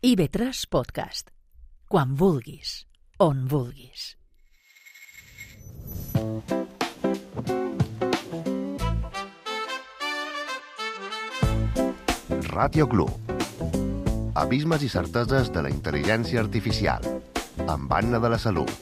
IB3 Podcast. Quan vulguis, on vulguis. Ràtio Club. Abismes i certeses de la intel·ligència artificial. Amb Anna de la Salut.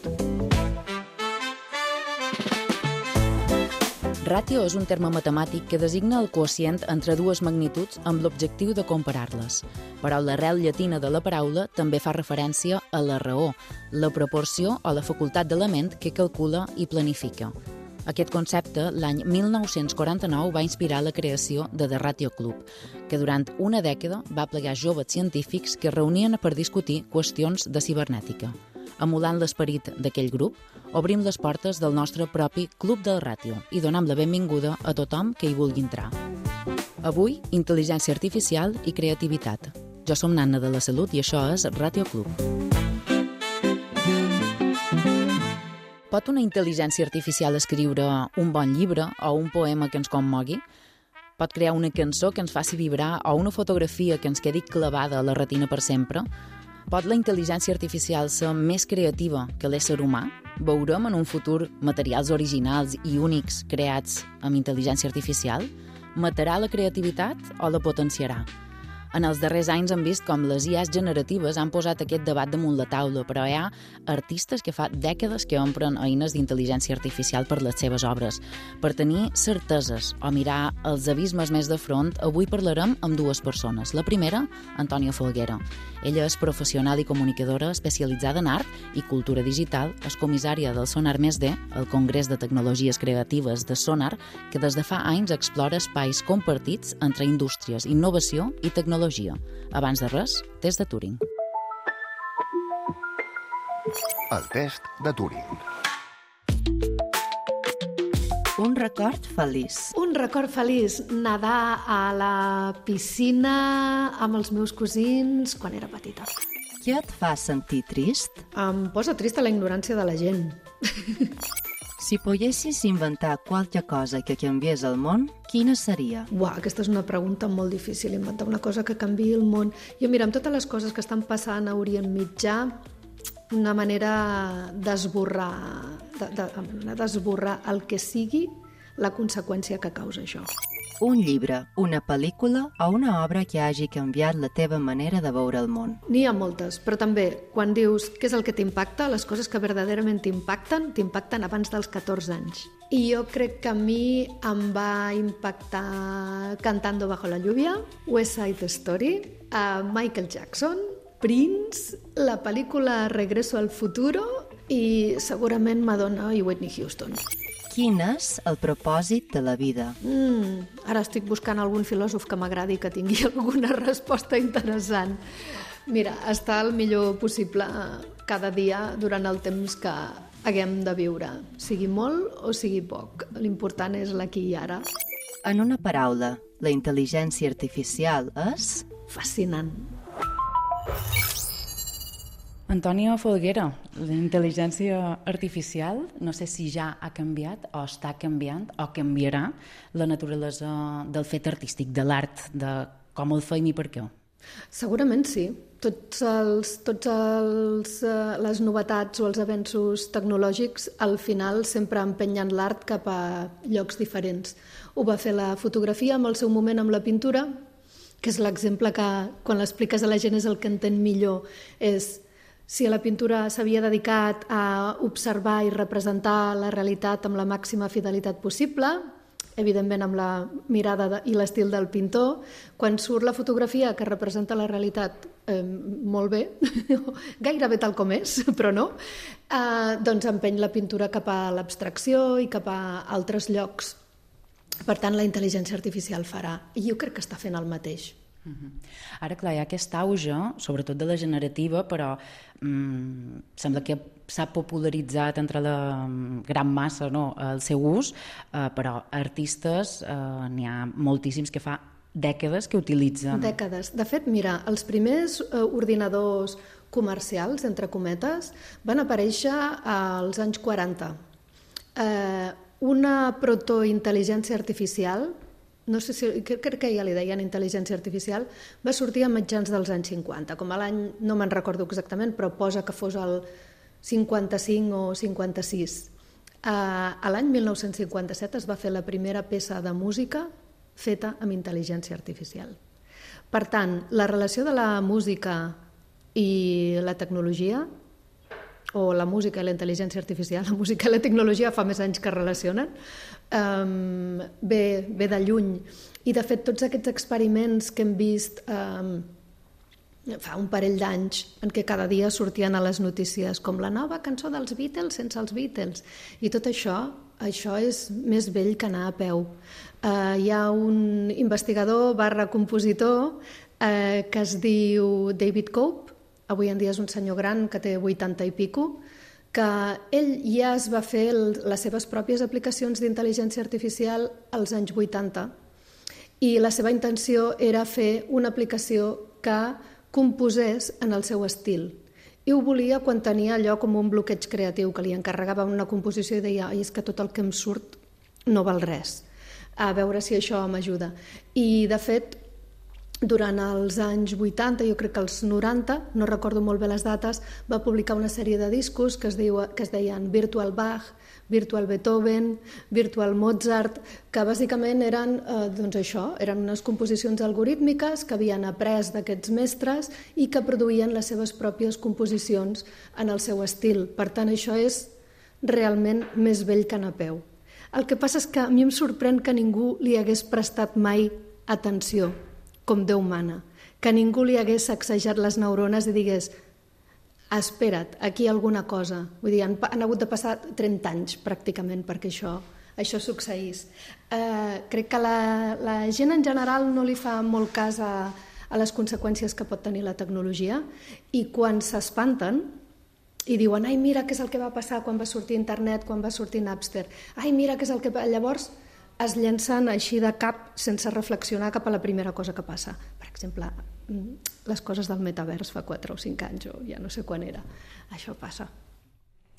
Ràtio és un terme matemàtic que designa el quocient entre dues magnituds amb l'objectiu de comparar-les. Però l'arrel llatina de la paraula també fa referència a la raó, la proporció o la facultat de la ment que calcula i planifica. Aquest concepte, l'any 1949, va inspirar la creació de The Ràtio Club, que durant una dècada va plegar joves científics que es reunien per discutir qüestions de cibernètica. Emulant l'esperit d'aquell grup, obrim les portes del nostre propi Club del Ràtio i donem la benvinguda a tothom que hi vulgui entrar. Avui, intel·ligència artificial i creativitat. Jo som Anna de la Salut i això és Ràtio Club. Pot una intel·ligència artificial escriure un bon llibre o un poema que ens commogui? Pot crear una cançó que ens faci vibrar o una fotografia que ens quedi clavada a la retina per sempre? Pot la intel·ligència artificial ser més creativa que l'ésser humà? Veurem en un futur materials originals i únics creats amb intel·ligència artificial? Matarà la creativitat o la potenciarà? En els darrers anys hem vist com les IAs generatives han posat aquest debat damunt la taula, però hi ha artistes que fa dècades que empren eines d'intel·ligència artificial per les seves obres. Per tenir certeses o mirar els abismes més de front, avui parlarem amb dues persones. La primera, Antònia Folguera. Ella és professional i comunicadora especialitzada en art i cultura digital, és comissària del Sonar +D, el Congrés de Tecnologies Creatives de Sonar, que des de fa anys explora espais compartits entre indústries, innovació i tecnologia. Abans de res, test de Turing. El test de Turing. Un record feliç. Un record feliç, nedar a la piscina amb els meus cosins quan era petita. Què et fa sentir trist? Em posa trista la ignorància de la gent. Si poguessis inventar qualque cosa que canviés el món, quina seria? Aquesta és una pregunta molt difícil, inventar una cosa que canviï el món. Jo, mira, amb totes les coses que estan passant a Orient Mitjà, una manera d'esborrar el que sigui la conseqüència que causa això. Un llibre, una pel·lícula o una obra que hagi canviat la teva manera de veure el món. N'hi ha moltes, però també quan dius què és el que t'impacta, les coses que verdaderament t'impacten abans dels 14 anys. I jo crec que a mi em va impactar Cantando bajo la lluvia, West Side Story, Michael Jackson, Prince, la pel·lícula Regreso al futuro i segurament Madonna i Whitney Houston. Quin és el propòsit de la vida? Ara estic buscant algun filòsof que m'agradi que tingui alguna resposta interessant. Mira, estar el millor possible cada dia durant el temps que haguem de viure, sigui molt o sigui poc. L'important és l'aquí i ara. En una paraula, la intel·ligència artificial és? Fascinant. Antònia Folguera, la intel·ligència artificial, no sé si ja ha canviat o està canviant o canviarà la naturalesa del fet artístic, de l'art, de com el fem i per què. Segurament sí. Les novetats o els avenços tecnològics al final sempre empenyen l'art cap a llocs diferents. Ho va fer la fotografia en el seu moment amb la pintura, que és l'exemple que quan l'expliques a la gent és el que entén millor. És si la pintura s'havia dedicat a observar i representar la realitat amb la màxima fidelitat possible, evidentment amb la mirada i l'estil del pintor, quan surt la fotografia que representa la realitat molt bé, gairebé tal com és, però no, doncs empeny la pintura cap a l'abstracció i cap a altres llocs. Per tant, la intel·ligència artificial farà, i jo crec que està fent el mateix. Ara, clar, hi ha aquest auge, sobretot de la generativa, però sembla que s'ha popularitzat entre la gran massa el seu ús, però artistes n'hi ha moltíssims que fa dècades que utilitzen. Dècades. De fet, mira, els primers ordinadors comercials, entre cometes, van aparèixer als anys 40. Una protointel·ligència artificial no sé si, crec que ja li deien intel·ligència artificial, va sortir a mitjans dels anys 50, com a l'any, no me'n recordo exactament, però posa que fos el 55 o 56. A l'any 1957 es va fer la primera peça de música feta amb intel·ligència artificial. Per tant, la relació de la música i la tecnologia, o la música i la intel·ligència artificial, la música i la tecnologia fa més anys que es relacionen, ve de lluny. I, de fet, tots aquests experiments que hem vist fa un parell d'anys, en què cada dia sortien a les notícies com la nova cançó dels Beatles sense els Beatles, i tot això és més vell que anar a peu. Hi ha un investigador / compositor que es diu David Cope, avui en dia és un senyor gran que té 80 i pico, que ell ja es va fer les seves pròpies aplicacions d'intel·ligència artificial als anys 80 i la seva intenció era fer una aplicació que composés en el seu estil. I ho volia quan tenia allò com un bloqueig creatiu, que li encarregava una composició i deia és que tot el que em surt no val res, a veure si això m'ajuda. I, de fet, durant els anys 80, jo crec que els 90, no recordo molt bé les dates, va publicar una sèrie de discos que es deien Virtual Bach, Virtual Beethoven, Virtual Mozart, que bàsicament eren eren unes composicions algorítmiques que havien après d'aquests mestres i que produïen les seves pròpies composicions en el seu estil. Per tant, això és realment més vell que anar a peu. El que passa és que a mi em sorprèn que ningú li hagués prestat mai atenció, com Déu mana, que ningú li hagués sacsejat les neurones i digués espera't, aquí hi ha alguna cosa. Vull dir, han hagut de passar 30 anys pràcticament perquè això succeís. Crec que la gent en general no li fa molt cas a les conseqüències que pot tenir la tecnologia i quan s'espanten i diuen ai, mira què és el que va passar quan va sortir internet, quan va sortir Napster, ai, mira què és el que... Llavors es llencen així de cap sense reflexionar cap a la primera cosa que passa. Per exemple, les coses del metavers fa 4 o 5 anys, o ja no sé quan era. Això passa.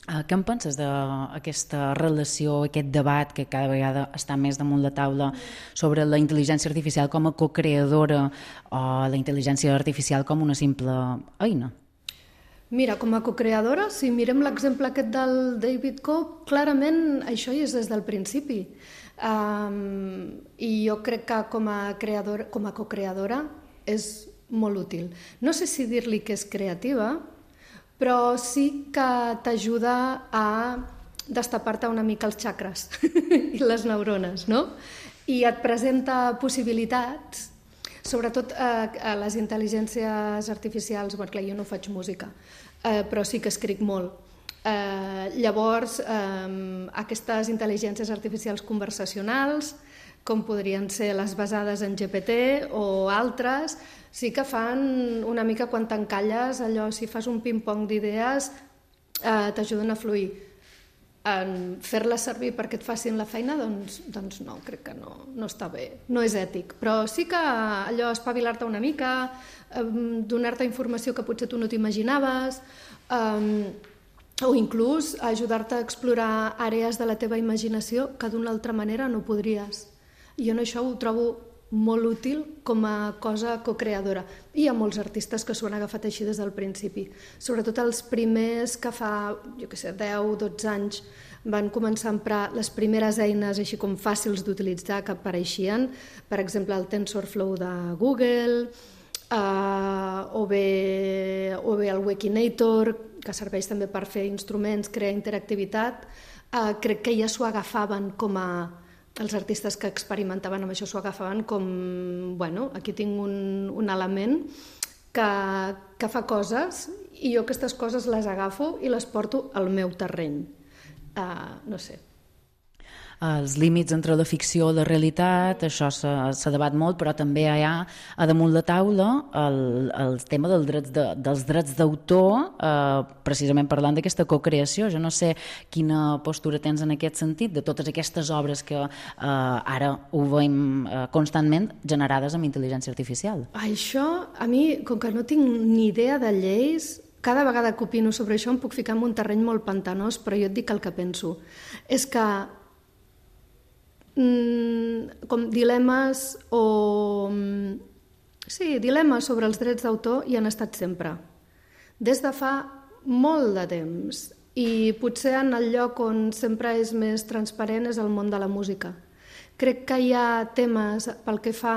Què en penses d'aquesta relació, aquest debat que cada vegada està més damunt la taula sobre la intel·ligència artificial com a cocreadora o la intel·ligència artificial com una simple eina? Mira, com a cocreadora, si mirem l'exemple aquest del David Cope, clarament això hi és des del principi. I jo crec que com a cocreadora és molt útil. No sé si dir-li que és creativa, però sí que t'ajuda a destapar-te una mica els xacres i les neurones, no? I et presenta possibilitats, sobretot a les intel·ligències artificials. Clar, jo no faig música, però sí que escric molt. Llavors, aquestes intel·ligències artificials conversacionals, com podrien ser les basades en GPT o altres, sí que fan una mica quan t'encalles, allò, si fas un ping-pong d'idees, t'ajuden a fluir. Fer-les servir perquè et facin la feina, doncs no, crec que no està bé, no és ètic. Però sí que allò, espavilar-te una mica, donar-te informació que potser tu no t'imaginaves, o inclús ajudar-te a explorar àrees de la teva imaginació que d'una altra manera no podries. I jo això ho trobo molt útil com a cosa cocreadora. I hi ha molts artistes que s'ho han agafat així des del principi. Sobretot els primers que fa, 10-12 anys van començar a emprar les primeres eines així com fàcils d'utilitzar que apareixien, per exemple el TensorFlow de Google, o bé el Wikinator, que serveix també per fer instruments, crear interactivitat. Crec que ja s'ho agafaven com a... Els artistes que experimentaven amb això s'ho agafaven com, bueno, aquí tinc un element que fa coses i jo aquestes coses les agafo i les porto al meu terreny. No sé. Els límits entre la ficció i la realitat, això s'ha debat molt, però també hi ha a damunt la taula el tema dels drets d'autor, precisament parlant d'aquesta cocreació. Jo no sé quina postura tens en aquest sentit, de totes aquestes obres que ara ho veiem constantment generades amb intel·ligència artificial. Això, a mi, com que no tinc ni idea de lleis, cada vegada que opino sobre això em puc ficar en un terreny molt pantanós, però jo et dic el que penso. És que com dilemes o... Sí, dilemes sobre els drets d'autor hi han estat sempre, des de fa molt de temps, i potser en el lloc on sempre és més transparent és el món de la música. Crec que hi ha temes pel que fa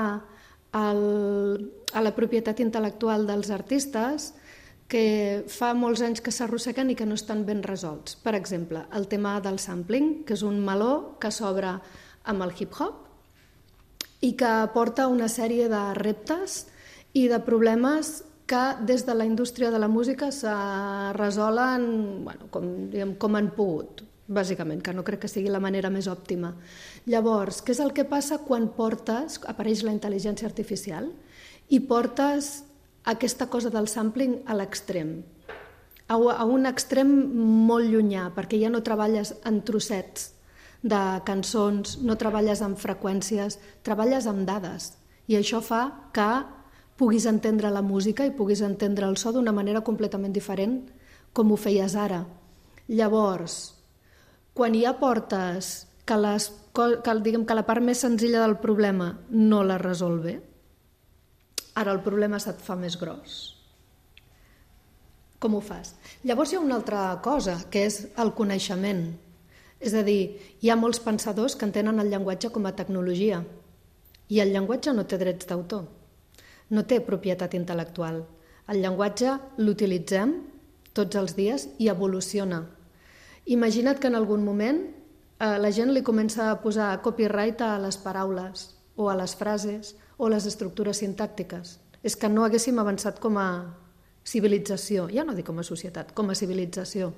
a la propietat intel·lectual dels artistes que fa molts anys que s'arrosseguen i que no estan ben resolts. Per exemple, el tema del sampling, que és un meló que s'obre amb el hip-hop i que porta una sèrie de reptes i de problemes que des de la indústria de la música se resolen com han pogut, bàsicament, que no crec que sigui la manera més òptima. Llavors, què és el que passa quan apareix la intel·ligència artificial i portes aquesta cosa del sampling a l'extrem, a un extrem molt llunyà, perquè ja no treballes en trossets de cançons, no treballes amb freqüències, treballes amb dades, i això fa que puguis entendre la música i puguis entendre el so d'una manera completament diferent com ho feies ara. Llavors, quan ja portes que la part més senzilla del problema no la resol bé, ara el problema se't fa més gros. Com ho fas? Llavors hi ha una altra cosa, que és el coneixement. És a dir, hi ha molts pensadors que entenen el llenguatge com a tecnologia, i el llenguatge no té drets d'autor, no té propietat intel·lectual. El llenguatge l'utilitzem tots els dies i evoluciona. Imagina't que en algun moment la gent li comença a posar copyright a les paraules o a les frases o a les estructures sintàctiques. És que no haguéssim avançat com a civilització, ja no dic com a societat, com a civilització.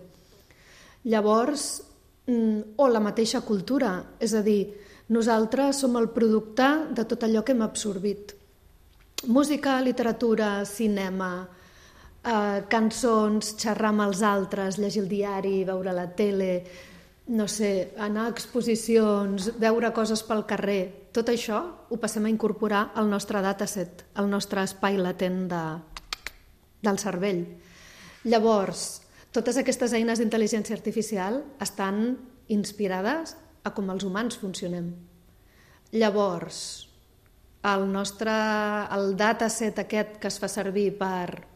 Llavors, o la mateixa cultura, és a dir, nosaltres som el producte de tot allò que hem absorbit. Música, literatura, cinema, cançons, xerrar amb els altres, llegir el diari, veure la tele, no sé, anar a exposicions, veure coses pel carrer. Tot això ho passem a incorporar al nostre dataset, al nostre espai latent del cervell. Llavors, totes aquestes eines d'intel·ligència artificial estan inspirades a com els humans funcionem. Llavors, el dataset aquest que es fa servir per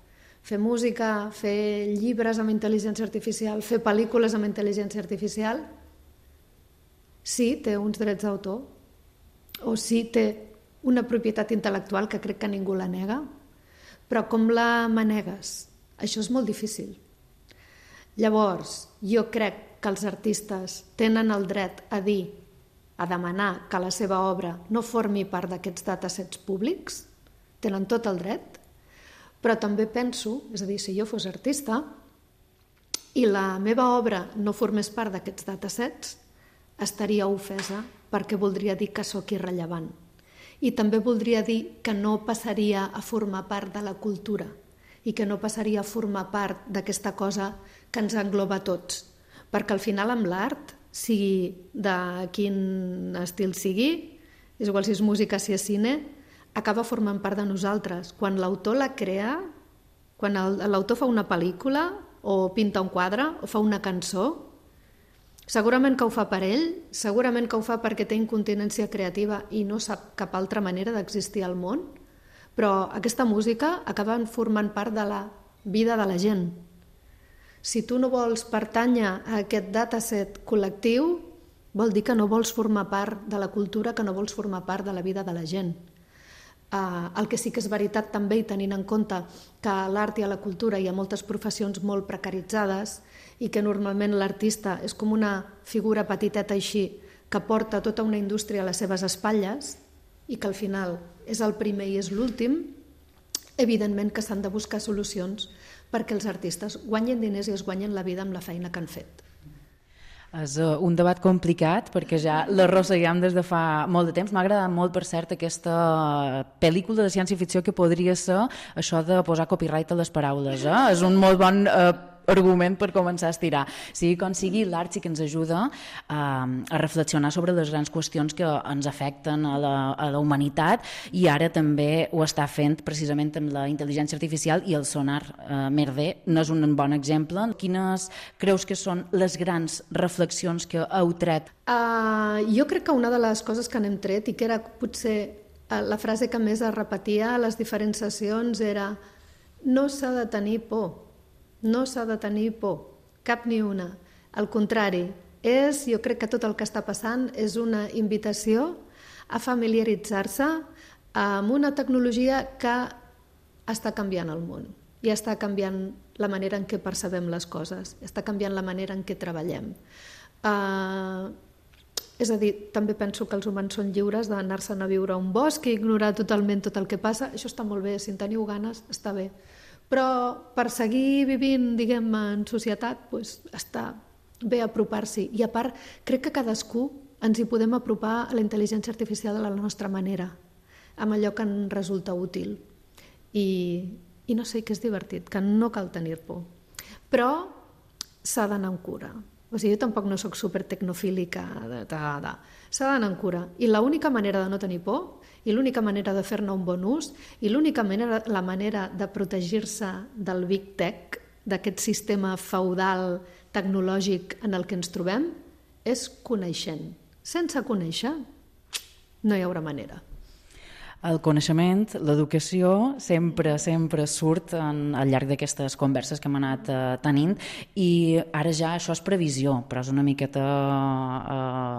fer música, fer llibres amb intel·ligència artificial, fer pel·lícules amb intel·ligència artificial, sí, té uns drets d'autor, o sí, té una propietat intel·lectual que crec que ningú la nega, però com la manegues? Això és molt difícil. Llavors, jo crec que els artistes tenen el dret a dir, a demanar que la seva obra no formi part d'aquests datasets públics, tenen tot el dret, però també penso, és a dir, si jo fos artista i la meva obra no formés part d'aquests datasets, estaria ofesa perquè voldria dir que sóc irrellevant. I també voldria dir que no passaria a formar part de la cultura i que no passaria a formar part d'aquesta cosa que ens engloba a tots. Perquè al final amb l'art, sigui de quin estil sigui, és igual si és música, si és cine, acaba formant part de nosaltres. Quan l'autor la crea, quan l'autor fa una pel·lícula o pinta un quadre o fa una cançó, segurament que ho fa per ell, segurament que ho fa perquè té incontinència creativa i no sap cap altra manera d'existir al món, però aquesta música acaba formant part de la vida de la gent. Si tu no vols pertànyer a aquest dataset col·lectiu, vol dir que no vols formar part de la cultura, que no vols formar part de la vida de la gent. El que sí que és veritat també, i tenint en compte que a l'art i a la cultura hi ha moltes professions molt precaritzades i que normalment l'artista és com una figura petiteta així que porta tota una indústria a les seves espatlles i que al final és el primer i és l'últim, evidentment que s'han de buscar solucions perquè els artistes guanyen diners i es guanyen la vida amb la feina que han fet. És un debat complicat perquè ja l'arrosseguem des de fa molt de temps. M'ha agradat molt, per cert, aquesta pel·lícula de ciència-ficció que podria ser això de posar copyright a les paraules. És un molt bon argument per començar a estirar. Sigui com sigui, l'art sí que ens ajuda a reflexionar sobre les grans qüestions que ens afecten a la humanitat, i ara també ho està fent precisament amb la intel·ligència artificial, i el sonar Mer-D n'és un bon exemple. Quines creus que són les grans reflexions que heu tret? Jo crec que una de les coses que n'hem tret, i que era potser la frase que més es repetia a les diferents sessions, era: no s'ha de tenir por, no s'ha de tenir por, cap ni una. Al contrari, jo crec que tot el que està passant és una invitació a familiaritzar-se amb una tecnologia que està canviant el món i està canviant la manera en què percebem les coses, està canviant la manera en què treballem. És a dir, també penso que els humans són lliures d'anar-se'n a viure a un bosc i ignorar totalment tot el que passa. Això està molt bé, si en teniu ganes, està bé. Però per seguir vivint, diguem, en societat, està bé apropar-s'hi. I a part, crec que cadascú ens hi podem apropar a la intel·ligència artificial de la nostra manera, amb allò que ens resulta útil. I no sé, que és divertit, que no cal tenir por. Però s'ha d'anar amb cura. O sigui, jo tampoc no sóc supertecnofílica. S'ha d'anar amb cura. I l'única manera de no tenir por, i l'única manera de fer-ne un bon ús, i la manera de protegir-se del Big Tech, d'aquest sistema feudal tecnològic en el que ens trobem, és coneixent. Sense conèixer, no hi haurà manera. El coneixement, l'educació, sempre surt al llarg d'aquestes converses que hem anat tenint, i ara ja això és previsió, però és una miqueta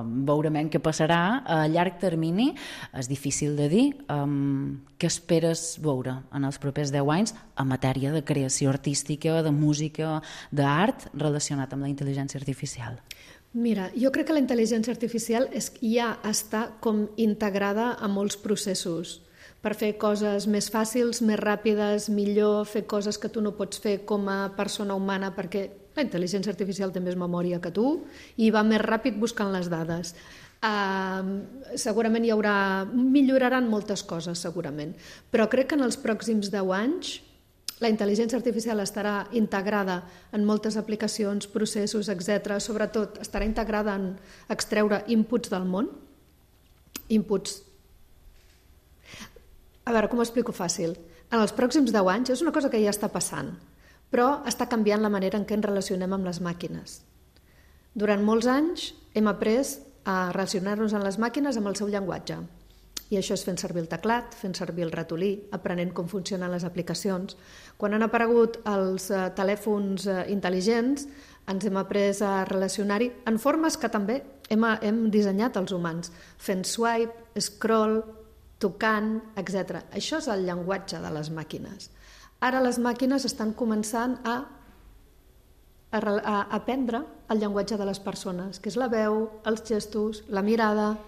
veurem què passarà a llarg termini. És difícil de dir. Què esperes veure en els propers 10 anys en matèria de creació artística, de música, d'art relacionat amb la intel·ligència artificial? Mira, jo crec que la intel·ligència artificial ja està com integrada a molts processos per fer coses més fàcils, més ràpides, millor, fer coses que tu no pots fer com a persona humana, perquè la intel·ligència artificial té més memòria que tu i va més ràpid buscant les dades. Segurament milloraran moltes coses, segurament, però crec que en els pròxims 10 anys la intel·ligència artificial estarà integrada en moltes aplicacions, processos, etc. Sobretot estarà integrada en extreure inputs del món. Inputs. A veure, com ho explico fàcil? En els pròxims 10 anys és una cosa que ja està passant, però està canviant la manera en què ens relacionem amb les màquines. Durant molts anys hem après a relacionar-nos amb les màquines amb el seu llenguatge. I això és fent servir el teclat, fent servir el ratolí, aprenent com funcionen les aplicacions. Quan han aparegut els telèfons intel·ligents, ens hem après a relacionar-hi en formes que també hem dissenyat els humans, fent swipe, scroll, tocant, etc. Això és el llenguatge de les màquines. Ara les màquines estan començant a aprendre el llenguatge de les persones, que és la veu, els gestos, la mirada,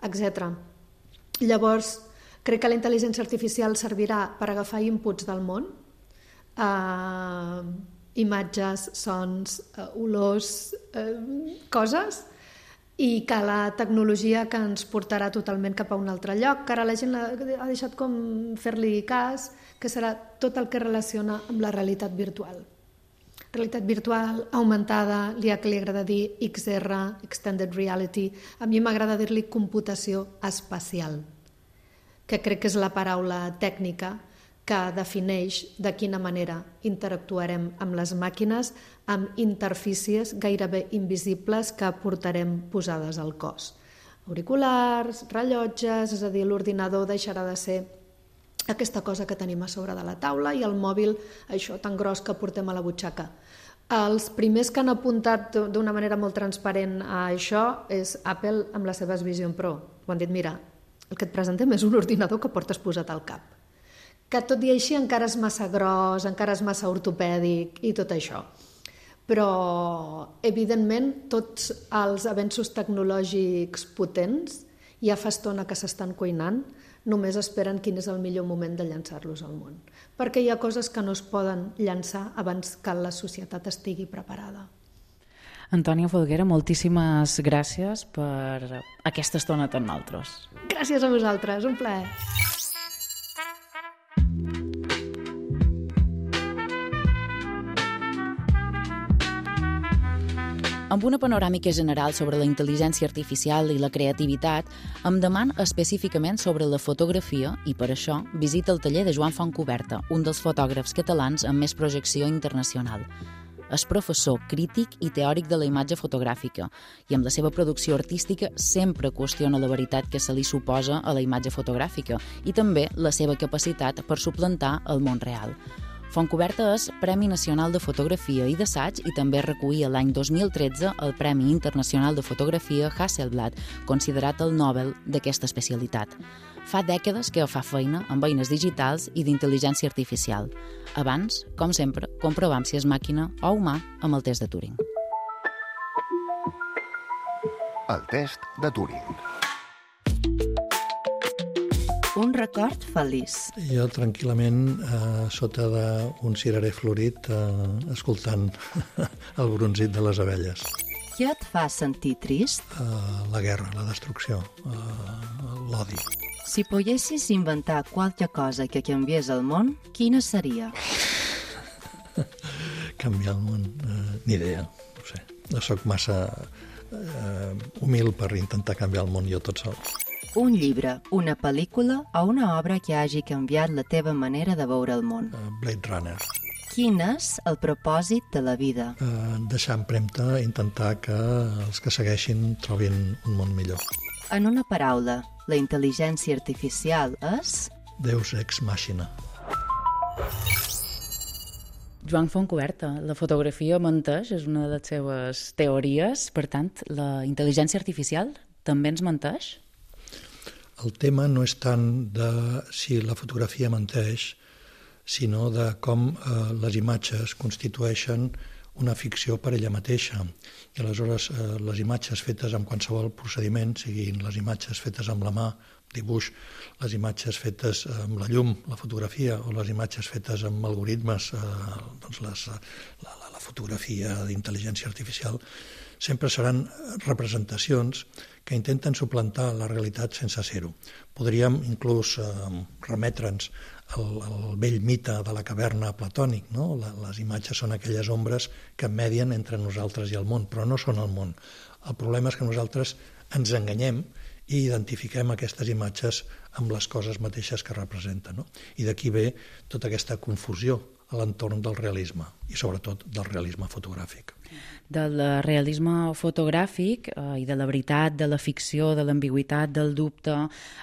etc. Llavors, crec que la intel·ligència artificial servirà per agafar inputs del món, imatges, sons, olors, coses, i que la tecnologia que ens portarà totalment cap a un altre lloc, que ara la gent ha deixat com fer-li cas, que serà tot el que relaciona amb la realitat virtual. Realitat virtual, augmentada, li agrada dir XR, Extended Reality. A mi m'agrada dir-li computació espacial, que crec que és la paraula tècnica que defineix de quina manera interactuarem amb les màquines, amb interfícies gairebé invisibles que portarem posades al cos. Auriculars, rellotges, és a dir, l'ordinador deixarà de ser aquesta cosa que tenim a sobre de la taula i el mòbil, això tan gros que portem a la butxaca. Els primers que han apuntat d'una manera molt transparent a això és Apple amb les seves Vision Pro. Ho han dit, mira, el que et presentem és un ordinador que portes posat al cap. Que tot i així encara és massa gros, encara és massa ortopèdic i tot això. Però, evidentment, tots els avenços tecnològics potents ja fa estona que s'estan cuinant, només esperen quin és el millor moment de llançar-los al món. Perquè hi ha coses que no es poden llançar abans que la societat estigui preparada. Antònia Folguera, moltíssimes gràcies per aquesta estona amb nosaltres. Gràcies a vosaltres, un plaer. Amb una panoràmica general sobre la intel·ligència artificial i la creativitat, em deman específicament sobre la fotografia i, per això, visita el taller de Joan Fontcuberta, un dels fotògrafs catalans amb més projecció internacional. És professor, crític i teòric de la imatge fotogràfica i amb la seva producció artística sempre qüestiona la veritat que se li suposa a la imatge fotogràfica i també la seva capacitat per suplantar el món real. Fontcuberta és Premi Nacional de Fotografia i d'Assaig i també recollia l'any 2013 el Premi Internacional de Fotografia Hasselblad, considerat el Nobel d'aquesta especialitat. Fa dècades que fa feina amb eines digitals i d'intel·ligència artificial. Abans, com sempre, comprovam si és màquina o humà amb el test de Turing. El test de Turing. Un record feliç. Jo tranquil·lament sota d'un cirerer florit escoltant el brunzit de les abelles. Què et fa sentir trist? La guerra, la destrucció, l'odi. Si poguessis inventar qualque cosa que canviés el món, quina seria? Canviar el món, ni idea, no sé. No soc massa humil per intentar canviar el món jo tot sol. Un llibre, una pel·lícula o una obra que hagi canviat la teva manera de veure el món. Blade Runner. Quin és el propòsit de la vida? Deixar empremta, intentar que els que segueixin trobin un món millor. En una paraula, la intel·ligència artificial és... Deus ex machina. Joan Fontcuberta, la fotografia menteix, és una de les seves teories. Per tant, la intel·ligència artificial també ens menteix? El tema no és tant de si la fotografia menteix, sinó de com les imatges constitueixen una ficció per ella mateixa. I aleshores les imatges fetes amb qualsevol procediment, siguin les imatges fetes amb la mà, dibuix, les imatges fetes amb la llum, la fotografia, o les imatges fetes amb algoritmes, doncs la fotografia d'intel·ligència artificial, sempre seran representacions que intenten suplantar la realitat sense ser-ho. Podríem inclús remetre'ns al vell mite de la caverna platònic, no? Les imatges són aquelles ombres que medien entre nosaltres i el món, però no són el món. El problema és que nosaltres ens enganyem i identifiquem aquestes imatges amb les coses mateixes que representen, no? I d'aquí ve tota aquesta confusió a l'entorn del realisme i sobretot del realisme fotogràfic. Del realisme fotogràfic i de la veritat, de la ficció, de l'ambigüitat, del dubte,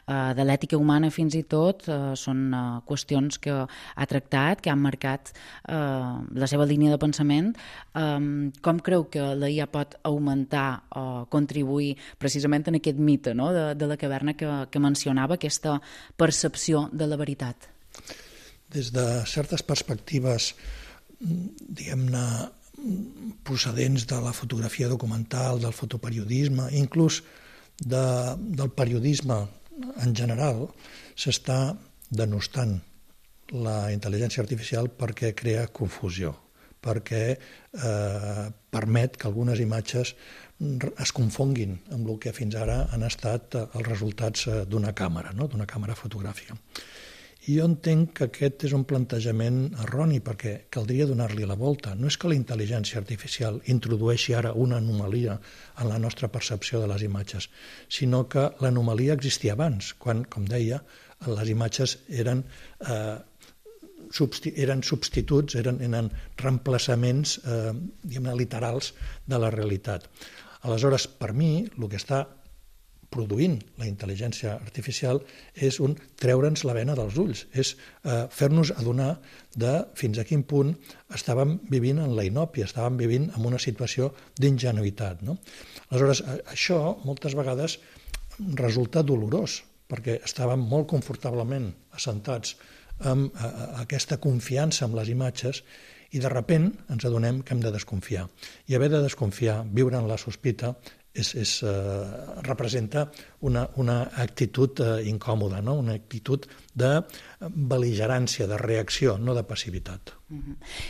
de l'ètica humana fins i tot, són qüestions que ha tractat, que han marcat la seva línia de pensament. Com creu que la IA pot augmentar o contribuir precisament en aquest mite, no? de la caverna que mencionava, aquesta percepció de la veritat? Des de certes perspectives, diguem-ne, procedents de la fotografia documental, del fotoperiodisme, inclús del periodisme en general, s'està denostant la intel·ligència artificial perquè crea confusió, perquè permet que algunes imatges es confonguin amb el que fins ara han estat els resultats d'una càmera, no? D'una càmera fotogràfica. I jo entenc que aquest és un plantejament erroni perquè caldria donar-li la volta. No és que la intel·ligència artificial introdueixi ara una anomalia en la nostra percepció de les imatges, sinó que l'anomalia existia abans, quan, com deia, les imatges eren substituts, eren reemplaçaments literals de la realitat. Aleshores, per mi, el que està produint la intel·ligència artificial és treure'ns la bena dels ulls, és fer-nos adonar de fins a quin punt estàvem vivint en la inòpia, estàvem vivint en una situació d'ingenuïtat, no? Aleshores, això moltes vegades resulta dolorós, perquè estàvem molt confortablement assentats amb aquesta confiança en les imatges i de sobte ens adonem que hem de desconfiar. I haver de desconfiar, viure en la sospita, representa una actitud incòmoda, no? Una actitud de bel·ligerància, de reacció, no de passivitat.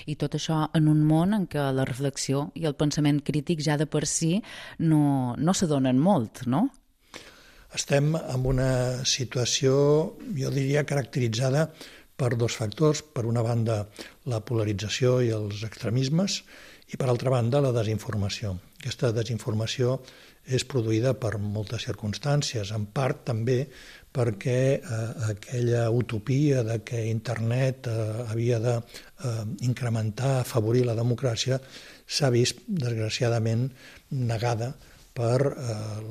I tot això en un món en què la reflexió i el pensament crític ja de per si no s'adonen molt, no? Estem en una situació, jo diria, caracteritzada per dos factors. Per una banda, la polarització i els extremismes, i per altra banda, la desinformació. Aquesta desinformació és produïda per moltes circumstàncies, en part també perquè aquella utopia de que internet havia d'incrementar, afavorir la democràcia, s'ha vist, desgraciadament, negada per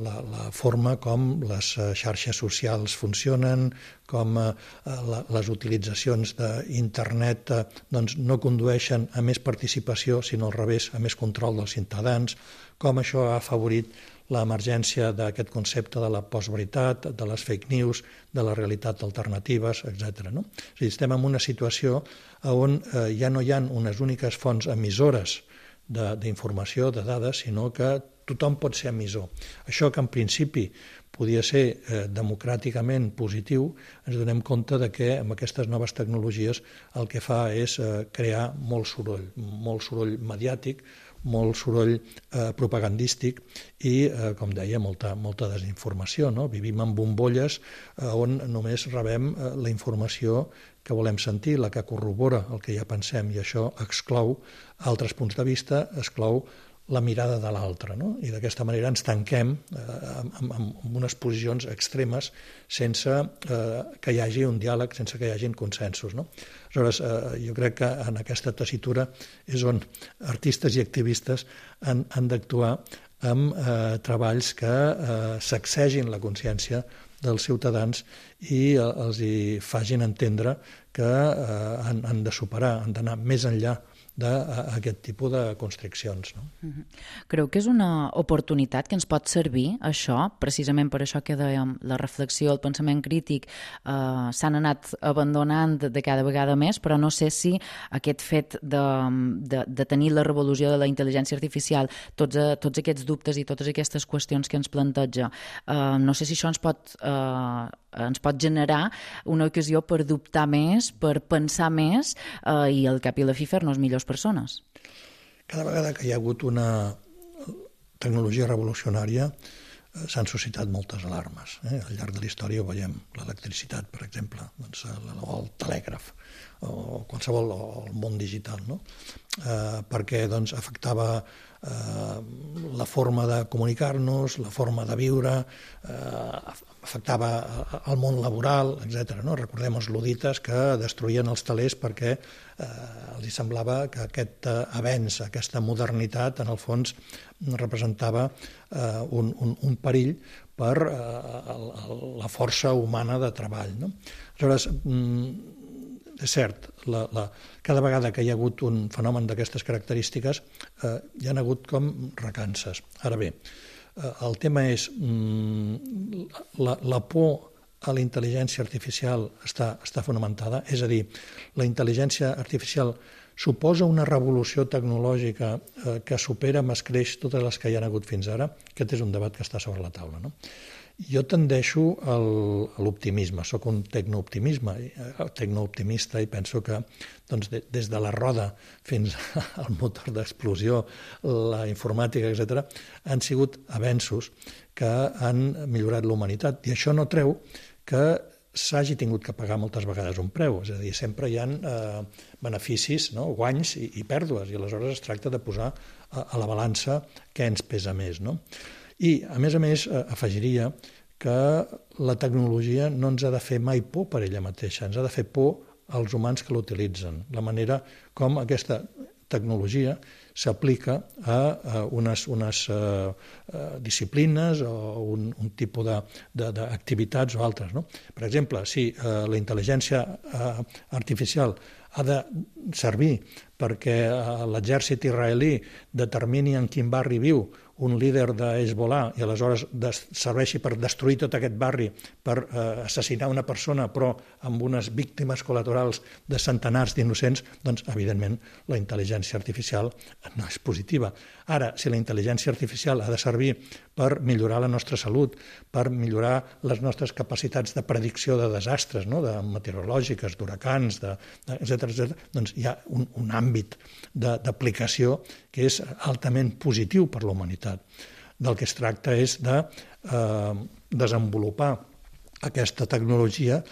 la forma com les xarxes socials funcionen, com les utilitzacions d'internet no condueixen a més participació, sinó al revés, a més control dels ciutadans, com això ha afavorit l'emergència d'aquest concepte de la postveritat, de les fake news, de la realitat alternatives, etc. No? És a dir, estem en una situació on ja no hi ha unes úniques fonts emissores d'informació, de dades, sinó que tothom pot ser emissor. Això que en principi podia ser democràticament positiu, ens donem compte de que amb aquestes noves tecnologies el que fa és crear molt soroll mediàtic, molt soroll propagandístic i, com deia, molta desinformació. No? Vivim en bombolles on només rebem la informació que volem sentir, la que corrobora el que ja pensem, i això exclou altres punts de vista, exclou la mirada de l'altre, no? I d'aquesta manera ens tanquem en unes posicions extremes sense que hi hagi un diàleg, sense que hi hagi consensos, no? Aleshores, jo crec que en aquesta tessitura és on artistes i activistes han d'actuar amb treballs que sacsegin la consciència dels ciutadans i els hi facin entendre que han de superar, han d'anar més enllà d'aquest tipus de constriccions. No? Creu que és una oportunitat que ens pot servir, això, precisament per això que dèiem, la reflexió, el pensament crític s'han anat abandonant de cada vegada més, però no sé si aquest fet de tenir la revolució de la intel·ligència artificial, tots aquests dubtes i totes aquestes qüestions que ens planteja, no sé si això ens pot generar una ocasió per dubtar més, per pensar més i al cap i a la fi fer-nos millors persones. Cada vegada que hi ha hagut una tecnologia revolucionària s'han suscitat moltes alarmes. Al llarg de la història ho veiem, l'electricitat, per exemple, o el telègraf, o qualsevol, o el món digital, no? Perquè afectava la forma de comunicar-nos, la forma de viure, afectava el món laboral, etc. No? Recordem els ludites que destruïen els telers perquè els semblava que aquest avenç, aquesta modernitat, en el fons representava un perill per la força humana de treball. No? Aleshores, és cert, cada vegada que hi ha hagut un fenomen d'aquestes característiques hi ha hagut com recances. Ara bé, el tema és la por a la intel·ligència artificial està fonamentada, és a dir, la intel·ligència artificial suposa una revolució tecnològica que supera amb escreix totes les que hi ha hagut fins ara. Aquest és un debat que està sobre la taula, no? Jo tendeixo a l'optimisme, soc un tecnooptimista i penso que des de la roda fins al motor d'explosió, la informàtica, etc., han sigut avenços que han millorat la humanitat. I això no treu que s'hagi tingut que pagar moltes vegades un preu, és a dir, sempre hi ha beneficis, no? Guanys i pèrdues, i aleshores es tracta de posar a la balança què ens pesa més, no? I, a més, afegiria que la tecnologia no ens ha de fer mai por per ella mateixa, ens ha de fer por als humans que l'utilitzen, la manera com aquesta tecnologia s'aplica a unes disciplines o un tipus d'activitats o altres. No? Per exemple, si la intel·ligència artificial ha de servir perquè l'exèrcit israelí determini en quin barri viu un líder de Hezbollah i aleshores serveixi per destruir tot aquest barri, per assassinar una persona, però amb unes víctimes col·laterals de centenars d'innocents, doncs, evidentment, la intel·ligència artificial no és positiva. Ara, si la intel·ligència artificial ha de servir per millorar la nostra salut, per millorar les nostres capacitats de predicció de desastres, no? De meteorològiques, d'huracans, etc., doncs hi ha un àmbit d'aplicació que és altament positiu per la humanitat. Del que es tracta és de desenvolupar aquesta tecnologia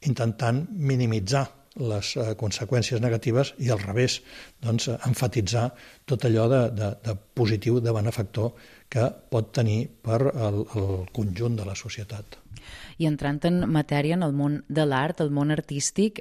intentant minimitzar les conseqüències negatives i al revés, doncs, enfatitzar tot allò de positiu, de benefactor que pot tenir per al conjunt de la societat. I entrant en matèria, en el món de l'art, el món artístic,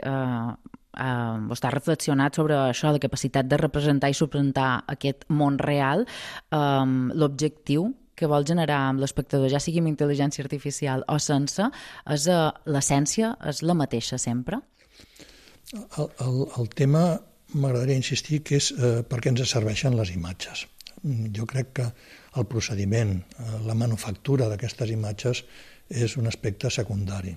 està reflexionat sobre això, la capacitat de representar i suplantar aquest món real, l'objectiu que vol generar amb l'espectador, ja sigui amb intel·ligència artificial o sense, l'essència és la mateixa sempre? El tema, m'agradaria insistir, que és per què ens serveixen les imatges. Jo crec que el procediment, la manufactura d'aquestes imatges és un aspecte secundari.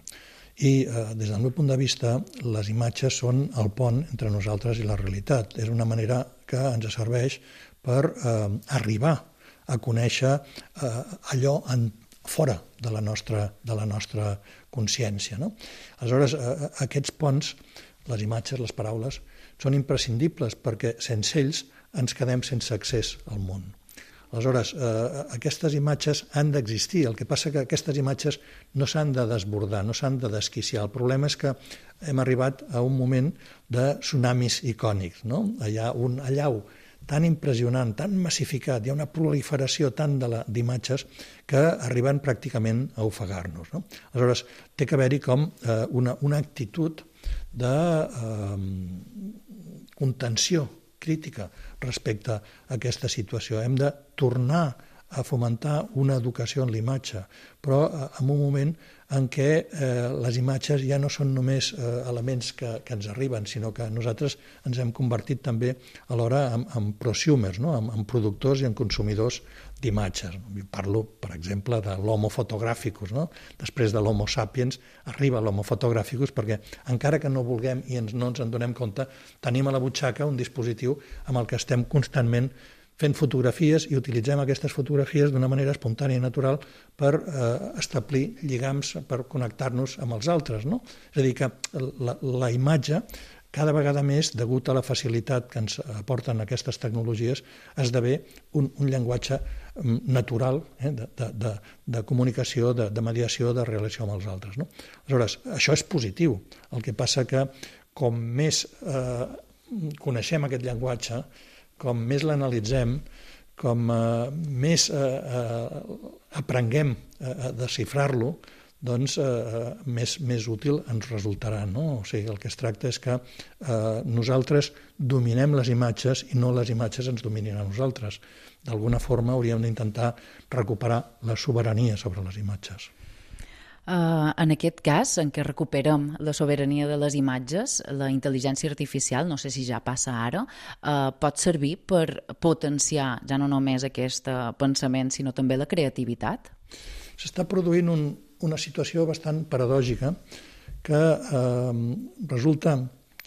I des del meu punt de vista, les imatges són el pont entre nosaltres i la realitat. És una manera que ens serveix per arribar a conèixer allò fora de la nostra consciència. No? Aleshores, aquests ponts, les imatges, les paraules, són imprescindibles perquè sense ells ens quedem sense accés al món. Aleshores, aquestes imatges han d'existir, el que passa que aquestes imatges no s'han de desbordar, no s'han de desquiciar. El problema és que hem arribat a un moment de tsunamis icònics. No? Hi ha un allau tan impressionant, tan massificat, hi ha una proliferació tant d'imatges que arriben pràcticament a ofegar-nos. No? Aleshores, té que haver-hi com una actitud de contenció crítica respecte a aquesta situació. Hem de tornar a fomentar una educació en l'imatge, però en un moment en què les imatges ja no són només elements que ens arriben, sinó que nosaltres ens hem convertit també alhora en prosumers, no? en productors i en consumidors d'imatges. Parlo, per exemple, de l'homo photographicus. No? Després de l'homo sapiens arriba l'homo photographicus perquè encara que no vulguem i no ens en donem compte, tenim a la butxaca un dispositiu amb el que estem constantment fent fotografies i utilitzem aquestes fotografies d'una manera espontània i natural per establir lligams, per connectar-nos amb els altres. No? És a dir, que la imatge, cada vegada més, degut a la facilitat que ens aporten aquestes tecnologies, esdevé un llenguatge natural de comunicació, de mediació, de relació amb els altres. No? Aleshores, això és positiu. El que passa que com més coneixem aquest llenguatge, com més l'analitzem, com més aprenguem a desxifrar-lo, doncs més útil ens resultarà. No? O sigui, el que es tracta és que nosaltres dominem les imatges i no les imatges ens dominin a nosaltres. D'alguna forma hauríem d'intentar recuperar la sobirania sobre les imatges. En aquest cas, en què recuperem la sobirania de les imatges, la intel·ligència artificial, no sé si ja passa ara, pot servir per potenciar ja no només aquest pensament, sinó també la creativitat? S'està produint una situació bastant paradògica que resulta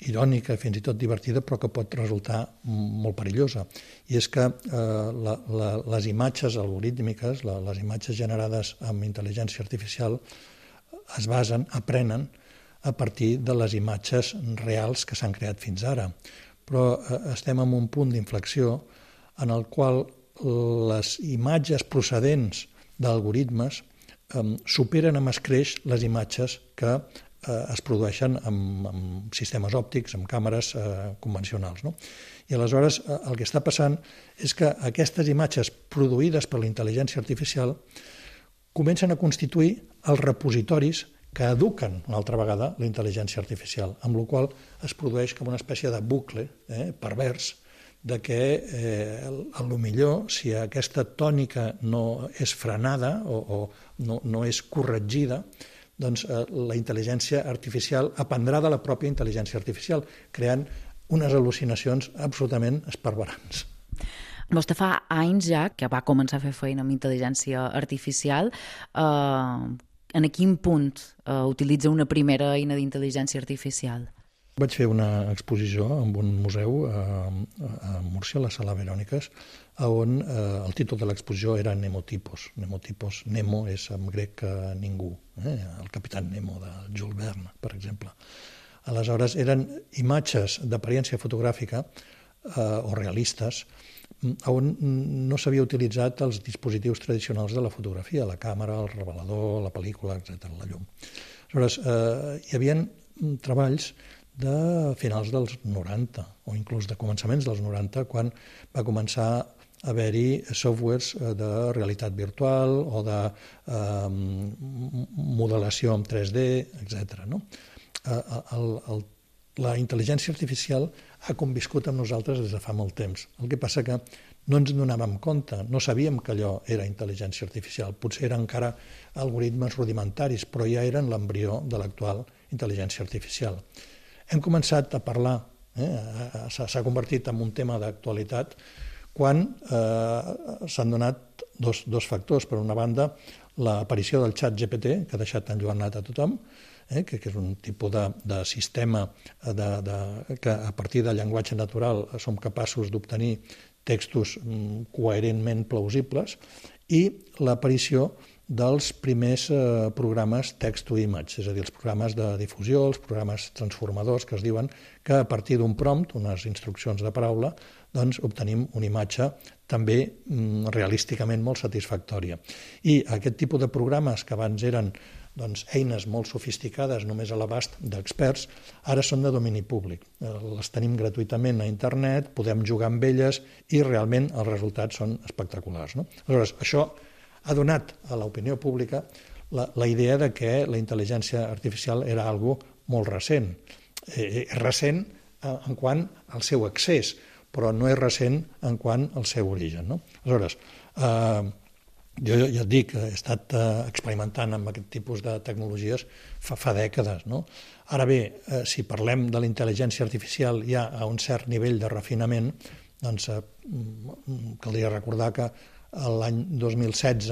irònica i fins i tot divertida, però que pot resultar molt perillosa. I és que les imatges algorítmiques, les imatges generades amb intel·ligència artificial, es basen, aprenen a partir de les imatges reals que s'han creat fins ara. Però estem en un punt d'inflexió en el qual les imatges procedents d'algoritmes superen amb escreix les imatges que es produeixen amb sistemes òptics, amb càmeres convencionals. No? I aleshores el que està passant és que aquestes imatges produïdes per la intel·ligència artificial comencen a constituir els repositoris que eduquen una altra vegada la intel·ligència artificial, amb la qual es produeix com una espècie de bucle pervers de que potser si aquesta tònica no és frenada o no és corregida, doncs la intel·ligència artificial aprendrà de la pròpia intel·ligència artificial, creant unes al·lucinacions absolutament esparverants. Vostè fa anys ja que va començar a fer feina amb intel·ligència artificial. En quin punt utilitza una primera eina d'intel·ligència artificial? Vaig fer una exposició en un museu a Múrcia, a la Sala Veròniques, on el títol de l'exposició era Nemotipos. Nemotipos, Nemo és en grec ningú, el capitán Nemo de Jules Verne, per exemple. Aleshores, eren imatges d'apariència fotogràfica o realistes on no s'havia utilitzat els dispositius tradicionals de la fotografia, la càmera, el revelador, la pel·lícula, etc., la llum. Aleshores, hi havia treballs de finals dels 90 o inclús de començaments dels 90, quan va començar a haver-hi softwares de realitat virtual o de modelació en 3D, etc. La intel·ligència artificial ha conviscut amb nosaltres des de fa molt temps. El que passa que no ens donàvem compte, no sabíem que allò era intel·ligència artificial. Potser eren encara algoritmes rudimentaris, però ja eren l'embrió de l'actual intel·ligència artificial. Hem començat a parlar, s'ha convertit en un tema d'actualitat, quan s'han donat dos factors. Per una banda, l'aparició del xat GPT, que ha deixat enlluernat a tothom, que és un tipus de sistema que a partir del llenguatge natural som capaços d'obtenir textos coherentment plausibles, i l'aparició dels primers programes text-to-image, és a dir, els programes de difusió, els programes transformadors que es diuen, que a partir d'un prompt, unes instruccions de paraula, doncs obtenim una imatge també realísticament molt satisfactòria. I aquest tipus de programes que abans eren eines molt sofisticades només a l'abast d'experts, ara són de domini públic. Les tenim gratuïtament a internet, podem jugar amb elles i realment els resultats són espectaculars. Aleshores, això ha donat a l'opinió pública la idea de que la intel·ligència artificial era algo molt recent. És recent en quant al seu accés, però no és recent en quant al seu origen. Aleshores, jo ja et dic, he estat experimentant amb aquest tipus de tecnologies fa dècades. Ara bé, si parlem de la intel·ligència artificial ja a un cert nivell de refinament, doncs caldria recordar que l'any 2016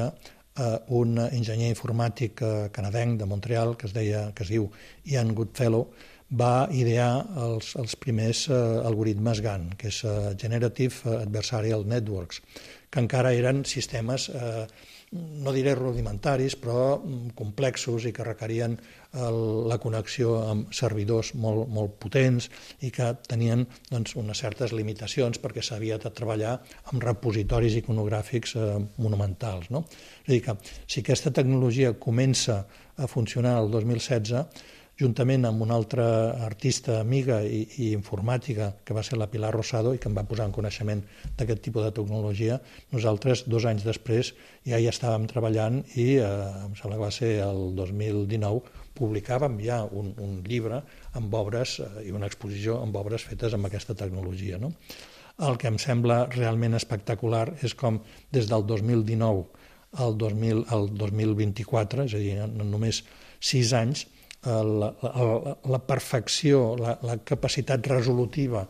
un enginyer informàtic canadenc de Montreal, que es diu Ian Goodfellow, va idear els primers algoritmes GAN, que és Generative Adversarial Networks, que encara eren sistemes, no diré rudimentaris, però complexos i que requerien la connexió amb servidors molt potents i que tenien unes certes limitacions perquè s'havia de treballar amb repositoris iconogràfics monumentals. És a dir, que si aquesta tecnologia comença a funcionar el 2016, juntament amb una altra artista amiga i informàtica, que va ser la Pilar Rosado, i que em va posar en coneixement d'aquest tipus de tecnologia, nosaltres 2 anys després ja hi estàvem treballant i em sembla que va ser el 2019, publicàvem ja un llibre amb obres i una exposició amb obres fetes amb aquesta tecnologia. El que em sembla realment espectacular és com des del 2019 al 2024, és a dir, en només 6 anys, la perfecció, la capacitat resolutiva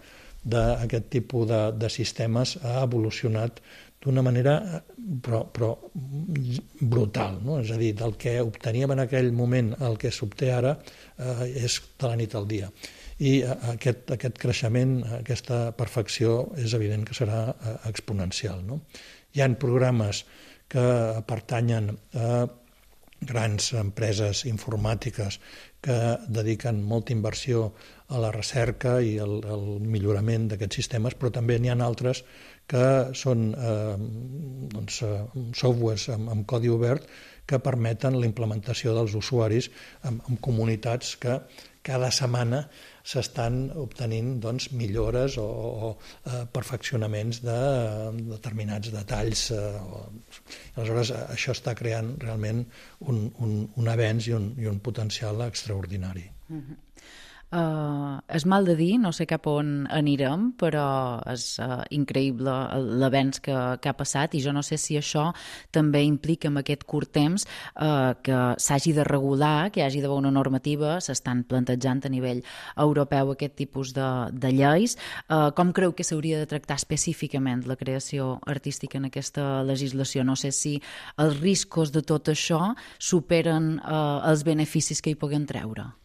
d'aquest tipus de sistemes ha evolucionat d'una manera però brutal. És a dir, del que obteníem en aquell moment el que s'obté ara és de la nit al dia. I aquest creixement, aquesta perfecció, és evident que serà exponencial. Hi ha programes que pertanyen a grans empreses informàtiques que dediquen molta inversió a la recerca i al millorament d'aquests sistemes, però també n'hi ha altres que són softwares amb codi obert que permeten la implementació dels usuaris en comunitats que cada setmana s'estan obtenint millores o perfeccionaments de determinats detalls. Aleshores, això està creant realment un avenç i un potencial extraordinari. És mal de dir, no sé cap on anirem, però és increïble l'avenç que ha passat i jo no sé si això també implica en aquest curt temps que s'hagi de regular, que hi hagi d'haver una normativa, s'estan plantejant a nivell europeu aquest tipus de lleis. Com creu que s'hauria de tractar específicament la creació artística en aquesta legislació? No sé si els riscos de tot això superen els beneficis que hi puguen treure.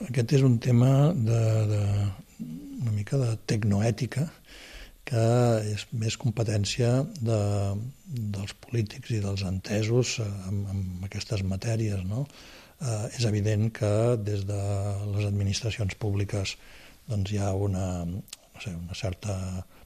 Aquest és un tema una mica de tecnoètica, que és més competència dels polítics i dels entesos en aquestes matèries. És evident que des de les administracions públiques hi ha una certa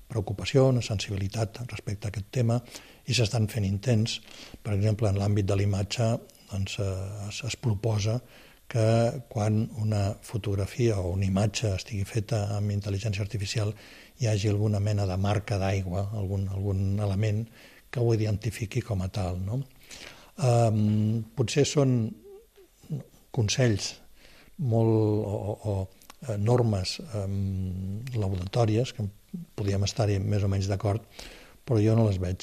preocupació, una sensibilitat respecte a aquest tema i s'estan fent intents. Per exemple, en l'àmbit de l'imatge es proposa que quan una fotografia o una imatge estigui feta amb intel·ligència artificial hi hagi alguna mena de marca d'aigua, algun element que ho identifiqui com a tal, no? Potser són consells o normes laudatòries, que podríem estar-hi més o menys d'acord, però jo no les veig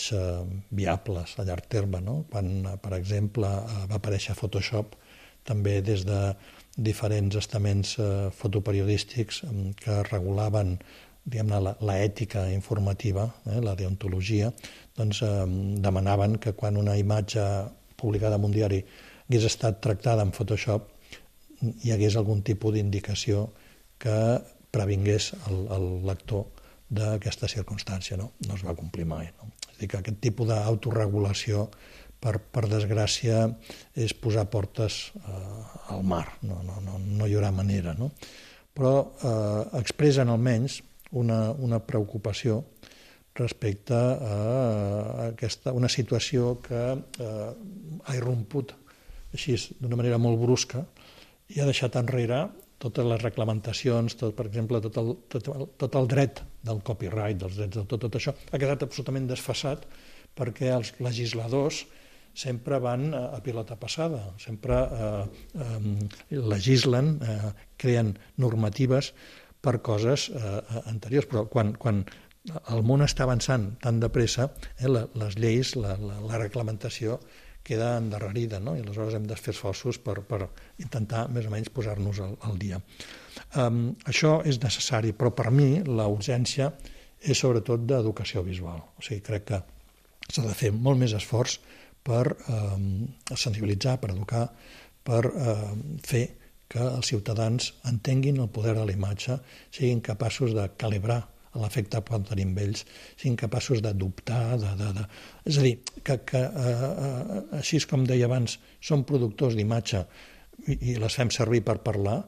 viables a llarg terme, no? Quan, per exemple, va aparèixer Photoshop, també des de diferents estaments fotoperiodístics que regulaven, diguem-ne, l'ètica informativa, la deontologia, doncs demanaven que quan una imatge publicada en un diari hagués estat tractada en Photoshop hi hagués algun tipus d'indicació que previngués el lector d'aquesta circumstància. No es va complir mai. No? És a dir, que aquest tipus d'autoregulació, per desgràcia, és posar portes al mar. No hi haurà manera. No? Però expressen almenys una preocupació respecte a una situació que ha irromput així d'una manera molt brusca i ha deixat enrere totes les reglamentacions, per exemple, tot el dret del copyright, dels drets d'autor, tot això ha quedat absolutament desfasat perquè els legisladors sempre van a pilota passada, sempre legislen, creen normatives per coses anteriors, però quan el món està avançant tan de pressa, les lleis, la reglamentació queda endarrerida, no? I aleshores hem de fer esforços per intentar més o menys posar-nos al dia. Això és necessari, però per mi la urgència és sobretot d'educació visual. O sigui, crec que s'ha de fer molt més esforç per sensibilitzar, per educar, per fer que els ciutadans entenguin el poder de la imatge, siguin capaços de calibrar l'efecte que poden tenir amb ells, siguin capaços de dubtar, és a dir, que així com deia abans, som productors d'imatge i les fem servir per parlar,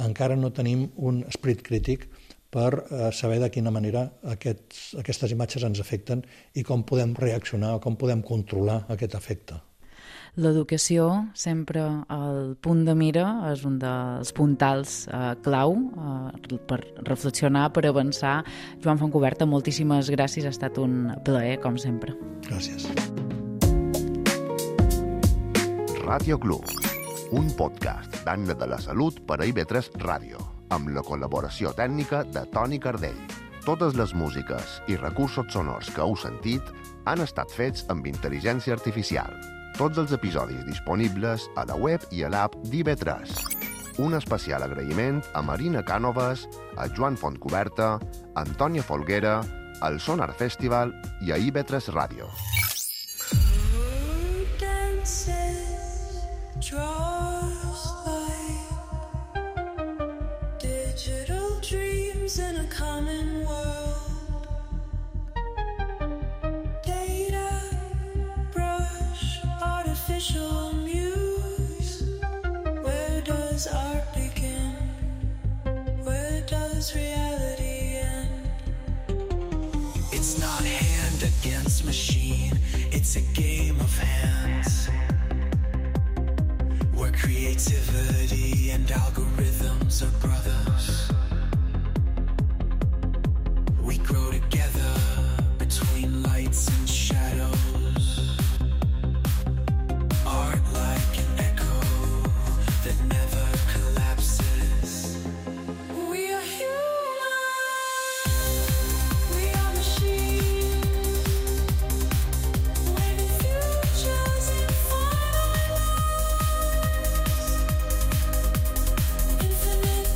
encara no tenim un esperit crític per saber de quina manera aquestes imatges ens afecten i com podem reaccionar o com podem controlar aquest efecte. L'educació, sempre al punt de mira, és un dels puntals clau per reflexionar, per avançar. Joan Fontcuberta, moltíssimes gràcies, ha estat un plaer, com sempre. Gràcies. Ràdio Club, un podcast d'Anna de la Salut per a IB3 Ràdio, amb la col·laboració tècnica de Toni Cardell. Totes les músiques i recursos sonors que heu sentit han estat fets amb intel·ligència artificial. Tots els episodis disponibles a la web i a l'app d'IB3. Un especial agraïment a Marina Cànovas, a Joan Fontcuberta, a Antònia Folguera, al Sonar Festival i a IB3 Ràdio. It's a game of hands where creativity and algorithms are brothers. We grow together between lights and shadows. Art like an echo that never collapses. We are human. We are machines. Infinite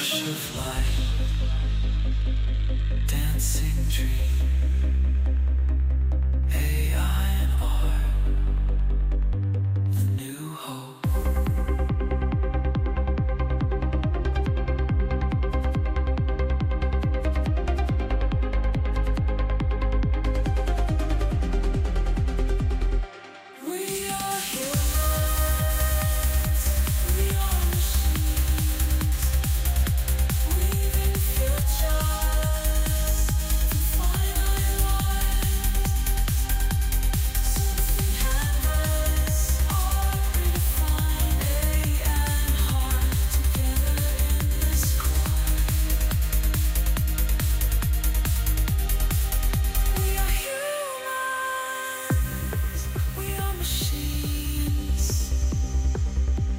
rush of light, dancing dream, AI and art, a new hope. We are humans, we are machines, weaving futures, finite lines, something canvas, art redefined, and heart together in this cry. We are humans, we are machines,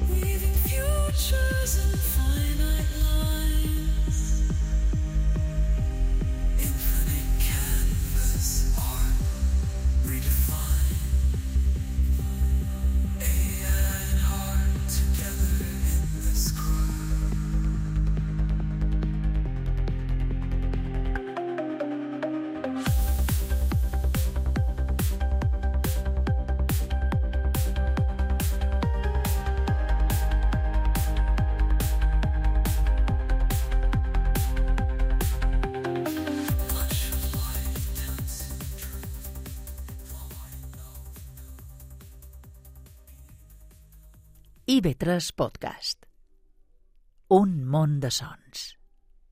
weaving futures and finite lines. Infinite canvas, art redefined. AI and heart together in this cry. Flash of light, dancing dream, all I know. IB3 Podcast. Un món de sons.